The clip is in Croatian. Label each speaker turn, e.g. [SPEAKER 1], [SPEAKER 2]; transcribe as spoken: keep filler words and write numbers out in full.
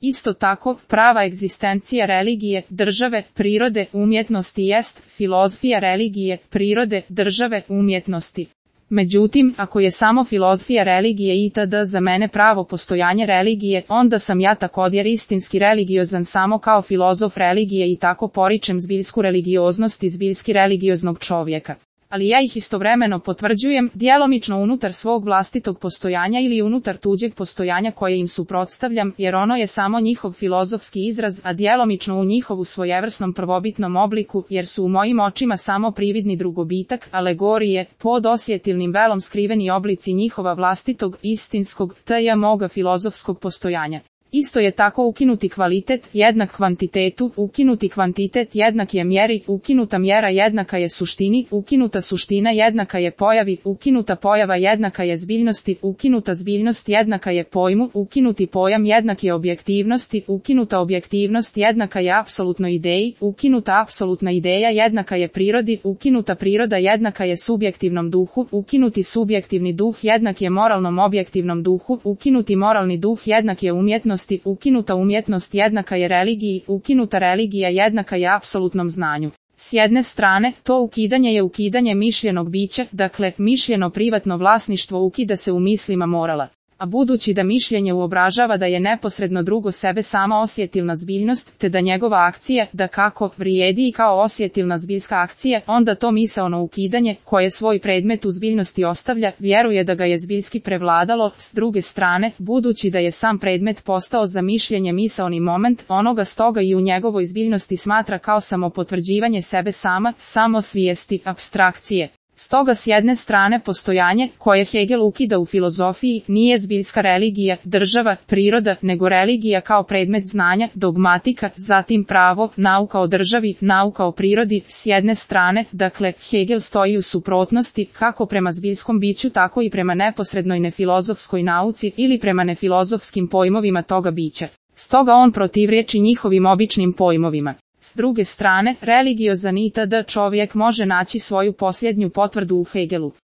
[SPEAKER 1] Isto tako, prava egzistencija religije, države, prirode, umjetnosti jest filozofija religije, prirode, države, umjetnosti. Međutim, ako je samo filozofija religije itd. Za mene pravo postojanje religije, onda sam ja također istinski religiozan samo kao filozof religije i tako poričem zbiljsku religioznost i zbiljski religioznog čovjeka. Ali ja ih istovremeno potvrđujem, djelomično unutar svog vlastitog postojanja ili unutar tuđeg postojanja koje im suprotstavljam, jer ono je samo njihov filozofski izraz, a djelomično u njihovu svojevrsnom prvobitnom obliku, jer su u mojim očima samo prividni drugobitak, alegorije, pod osjetilnim velom skriveni oblici njihova vlastitog, istinskog, tj. moga filozofskog postojanja. Isto je tako ukinuti kvalitet jednak kvantitetu, ukinuti kvantitet jednak je mjeri, ukinuta mjera jednaka je suštini, ukinuta suština jednaka je pojavi, ukinuta pojava jednaka je zbiljnosti, ukinuta zbiljnost jednaka je pojmu, ukinuti pojam jednak je objektivnosti, ukinuta objektivnost jednaka je apsolutnoj ideji, ukinuta apsolutna ideja jednaka je prirodi, ukinuta priroda jednaka je subjektivnom duhu, ukinuti subjektivni duh jednak je moralnom objektivnom duhu, ukinuti moralni duh jednak je umjetnosti, ukinuta umjetnost jednaka je religiji, ukinuta religija jednaka je apsolutnom znanju. S jedne strane, to ukidanje je ukidanje mišljenog bića, dakle, mišljeno privatno vlasništvo ukida se u mislima morala. A budući da mišljenje uobražava da je neposredno drugo sebe sama osjetilna zbiljnost, te da njegova akcija, da kako, vrijedi i kao osjetilna zbiljska akcija, onda to misaono ukidanje, koje svoj predmet u zbiljnosti ostavlja, vjeruje da ga je zbiljski prevladalo. S druge strane, budući da je sam predmet postao za mišljenje misaoni moment, onoga stoga i u njegovoj zbiljnosti smatra kao samopotvrđivanje sebe sama, samosvijesti, apstrakcije. Stoga s jedne strane postojanje, koje Hegel ukida u filozofiji, nije zbiljska religija, država, priroda, nego religija kao predmet znanja, dogmatika, zatim pravo, nauka o državi, nauka o prirodi. S jedne strane, dakle, Hegel stoji u suprotnosti, kako prema zbiljskom biću, tako i prema neposrednoj nefilozofskoj nauci ili prema nefilozofskim pojmovima toga bića. Stoga on protivriječi njihovim običnim pojmovima. S druge strane, religiozan itd. čovjek može naći svoju posljednju potvrdu u Hegelu.